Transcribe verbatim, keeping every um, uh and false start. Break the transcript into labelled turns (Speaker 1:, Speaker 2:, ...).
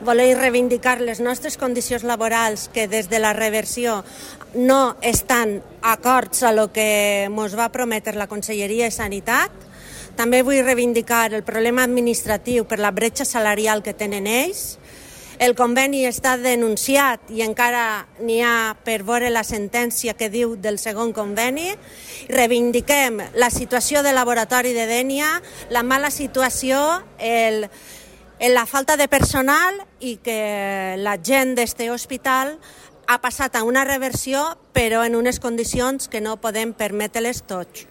Speaker 1: voler reivindicar les nostres condicions laborals que des de la reversió no estan acords a lo que ens va prometre la Conselleria de Sanitat. També vull reivindicar el problema administratiu per la bretxa salarial que tenen ells. El conveni està denunciat i encara n'hi ha per veure la sentència que diu del segon conveni. Reivindiquem la situació del laboratori de Dénia, la mala situació, el, la falta de personal i que la gent d'este hospital ha passat a una reversió però en unes condicions que no podem permetre-les tots.